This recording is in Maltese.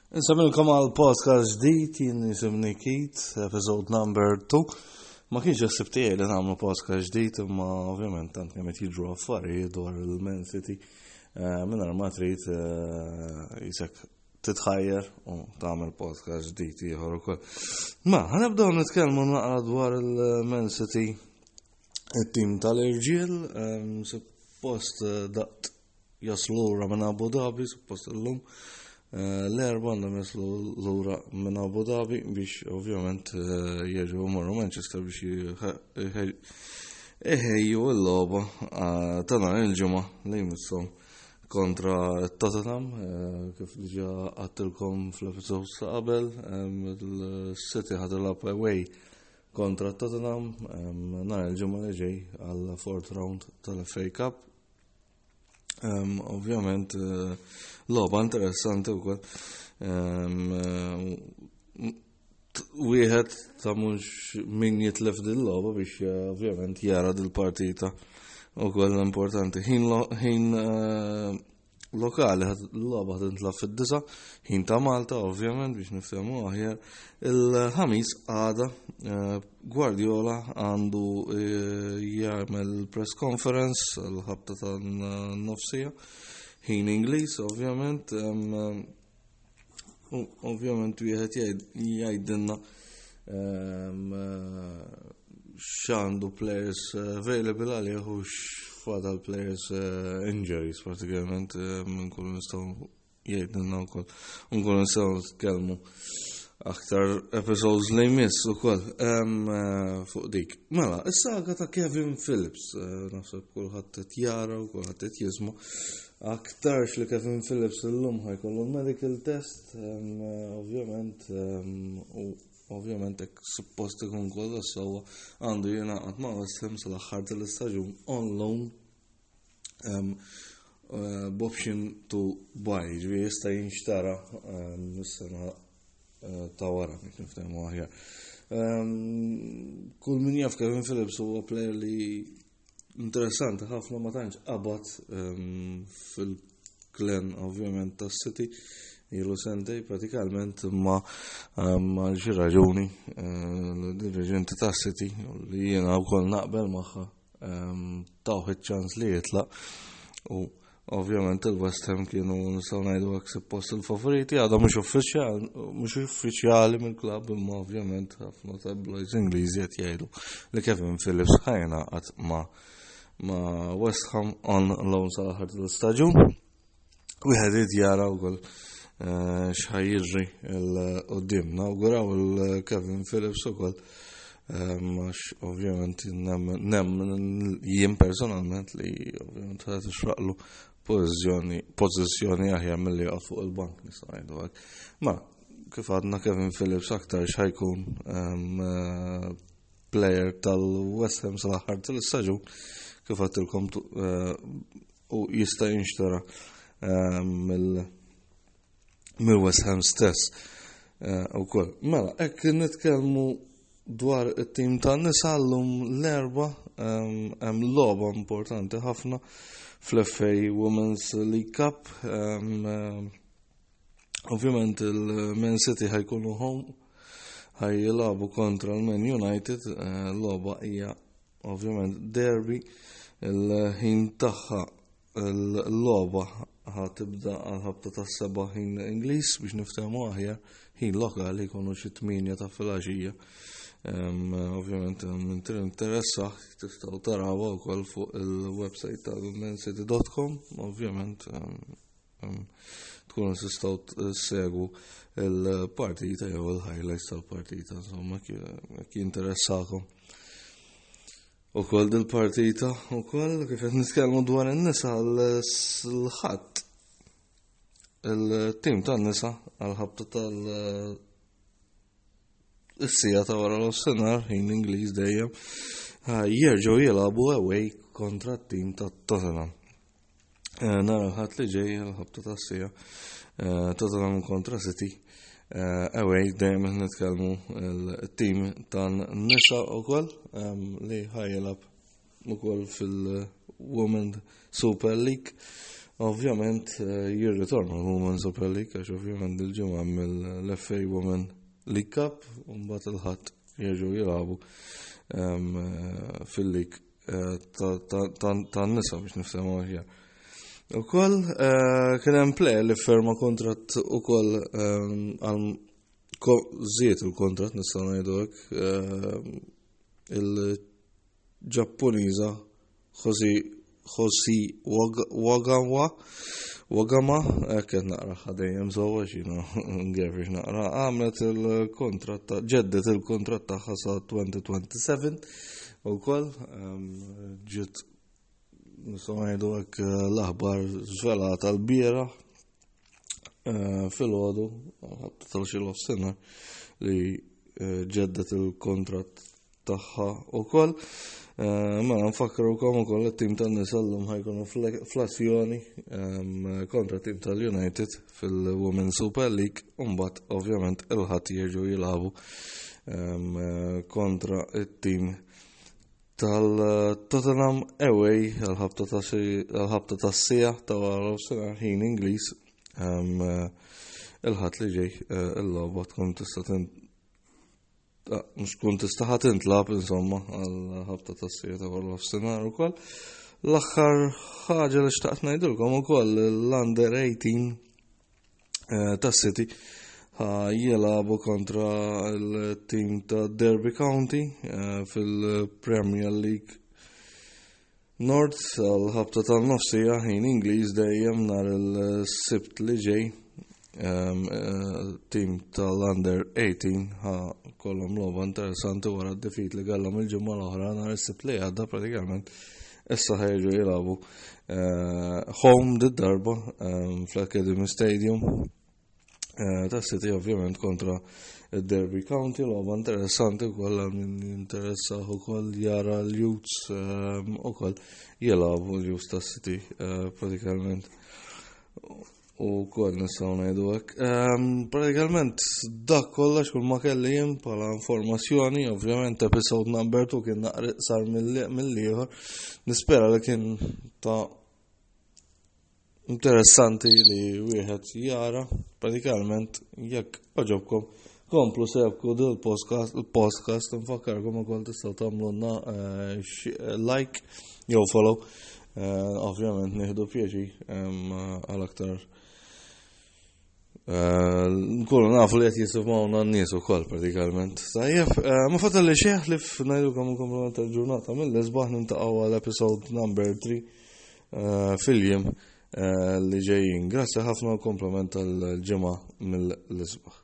Insemmilkom għal podcast ġdid jien jisimni Keith, episode number 2. Ma kienx ħsib tiegħi li nagħmlu podcast ġdid imma ovvjament tant kemm qed jiġru affarijiet dwar il-Man City eh, mingħajr ma trid eh, jisek titħajjer u tagħmel podcast ġdid ieħor ukoll. Ma ħanibdew nitkellmu naqra dwar il-Man City it-tim tal-irġiel, eh, suppost daqt jaslu lura minn Abu Dhabi, suppost illum. Eh, l-erba għandhom jaslu lura minn Abu Dhabi biex ovvjament eh, jerġgħu morru Manchester biex iħejju l-logħba eh, ta' nhar il-ġimgħa li jmisshom kontra Tottenham kif diġà għattilkom fl-episod ta' qabel il-City ħad away kontra Tottenham nhar il-ġimgħa li ġej għal fourth round tal-FA Cup. Um, ovvjament, eh, logħba interessanti wkoll. Um, eh, wieħed ta' mhux min jitlef din logħba biex eh, ovvjament jara dil-partita ukoll importanti. Ħin lokali l-logħba tintlab fid-disa, ħin ta' Malta ovvjament biex niftehmu aħjar. Il-ħamis għada eh, Guardiola għandu eh, jagħmel press conference l-ħabta ta' nofsija ħin Ingliż ovvjament. U ovvjament wieħed jgħidilna ehm, x'għandu players available għalih u x'fadal players eh, injuries pratikament eh, minn kull nistgħu jgħidilna wkoll. Nkunu nistgħu nitkellmu aktar episodes li jmiss ukoll ehm, eh, fuq dik. Mela, is-saga ta' Kevin Phillips, naħseb kulħadd qed jara u kulħadd qed jisma' Aktarx li Kevin Phillips illum ħajkollu medical test, ovvjament, u ovvjament hekk suppost ikun kollox sewwa għandu jingħaqad ma' West Ham sal-aħħar tal-istaġun on loan eh, b'option to buy, ġifieri jista' jinxtara is-sena eh, ta' wara biex niftehmu aħjar. Kull min jaf Kevin Phillips huwa player li Interessanti ħafna ma tantx qabad ehm, fil-klen ovvjament tas-City ilu sentej pratikalment imma ehm, għal xi raġuni eh, l-dirigenti tas-City li jiena wkoll naqbel magħha ehm, tawh iċ-ċans li jitlaq u Ovvjament il-West Ham kienu nistgħu ngħidu hekk suppost il-favoriti, għadha mhux uffiċjali mhux uffiċjali mill-klabb imma ovvjament ħafna tabloids Ingliżi qed jgħidu li Kevin Phillips ħajnaqat ma' ma' West Ham on loan sal-aħħar tal-istaġun. Wieħed irid jara wkoll eh, x'ħaj jiġri l-qudiem. Nawguraw il-Kevin Phillips ukoll Għax ovvjament nemmen jien personalment li ovvjament ħa tixraqlu pożizzjoni pożizzjoni aħjar milli joqgħod fuq il-bank nistgħu ngħidu hekk. Ma kif għadna Kevin Phillips aktar x'ħajkun eh, player tal-West Ham sal-aħħar tal-istaġun kif għadtilkom eh, u jista' jinxtara eh, mill mill-West Ham stess. Eh, ukoll. Mela, hekk nitkellmu dwar it-tim tan-nisa llum l-erba ehm, hemm logħba importanti ħafna fl-FA Women's League Cup. Ehm, eh, ovvjament il-Man City ħajkunu home ħaj jilagħbu kontra l-Man United, eh, logħba hija ovvjament derby il-ħin tagħha Il-logħba ħa tibda għal ħabta tas-seba' ħin Ingliż biex niftehmu aħjar ħin lokali jkunu xi tmienja ta' filgħaxija. Ovvjament minn interessa tistgħu tarawha wkoll fuq il-website tal-mancity.com, ovvjament tkunu tistgħu segwu il-partita jew il-highlights tal-partita, insomma, jekk jinteressakom. U koll dil-partita, u koll kif qed nitkellmu dwar in-nisa l-ħadd il-tim tan-nisa għal-ħabta tal- is-sija ta' wara l-offsinar, ħin Ingliż dejjem, jerġgħu jilagħbu away kontra t-tim ta' Tottenham. Eh, nara l-ħadd li ġej l-ħabta tas-sija eh, Tottenham kontra City. Eh, away dejjem qed nitkellmu l-tim tan-nisa wkoll ehm, li ħajjilab ukoll fil-Women Super League. Ovvjament eh, jirritorna l-Women Super League għax ovvjament il-ġimgħa mill-FA Women League Cup u mbagħad il-ħadd jerġgħu jilagħbu ehm, eh, fil-league eh, tan-nisa biex niftehmu aħjar. Ukoll kien hemm player li ferma kontratt ukoll ehm, għal żied il-kontratt nistgħu ngħidu hekk ehm, il-Ġappuniża Jose Jose Wagawa Wagama, hekk qed naqra ħadejjem sewwa x'jiena ngerfix naqra, għamlet il-kontratt ġeddet il-kontratt tagħha sa 2027 ukoll ehm, ġiet nistgħu ngħidu hekk l-aħbar żvelata l-bieraħ eh, filgħodu ħabta tal-xi sena li eh, ġeddet il-kontratt tagħha ukoll. Eh, mela nfakrukom ukoll it-tim tan-nisa llum ħajkunu fl-azzjoni ehm, kontra tim tal-United fil-Women Super League u mbagħad ovvjament il-ħadd jerġgħu jilagħbu ehm, kontra it-tim tal-Tottenham away għal-ħabta tas-sija ta' wara nofsinhar ħin Ingliż ehm, il-ħadd li ġej eh, il-logħba tkun tista' ah, mhux tkun tista' ħadd intlab insomma għal-ħabta tas-sija ta' wara nofsinhar ukoll. L-aħħar ħaġa li xtaqt ngħidilkom ukoll l-under 18 eh, ta' City jilagħbu kontra l-tim ta' Derby County eh, fil-Premier League North għal-ħabta tal-nofsija ħin Ingliż dejjem nhar il-Sibt li ġej ehm, eh, tim tal-Under 18 ħa kollhom logħba interessanti wara d-defeat li kellhom il-ġimgħa l-oħra nhar is-Sibt li għadda pratikament issa ħajġu jilagħbu eh, home did-darba ehm, fl-Academy Stadium eh, ta' City ovvjament kontra Derby County, logħba interessanti wkoll għal min jinteressa ukoll jara l-Youths ehm, ukoll jilagħbu l-Youths ta' City eh, pratikament u kol nistgħu ngħidu hekk. Ehm, pratikament dak kollox kull ma kelli jien bħala informazzjoni, ovvjament episode number 2 kien naqra sar mill-ieħor. Nispera li kien ta' interessanti li wieħed jara pratikament jekk oġobkom komplu sebku dil podcast il-podcast nfakkarkom ukoll tistgħu tagħmlulna eh, like jew follow eh, ovvjament nieħdu pjaċi għal aktar eh, nkunu nafu li qed jisimgħuna n-nies ukoll pratikament. Tajjeb, ma fatal li xejn li f'ngħidulkom inkomplu tal-ġurnata mill-isbaħ nintaqgħu għal episode number 3 fil-jiem li ġejjin. Grazzi ħafna u kompliment tal-ġimgħa mill-isbaħ.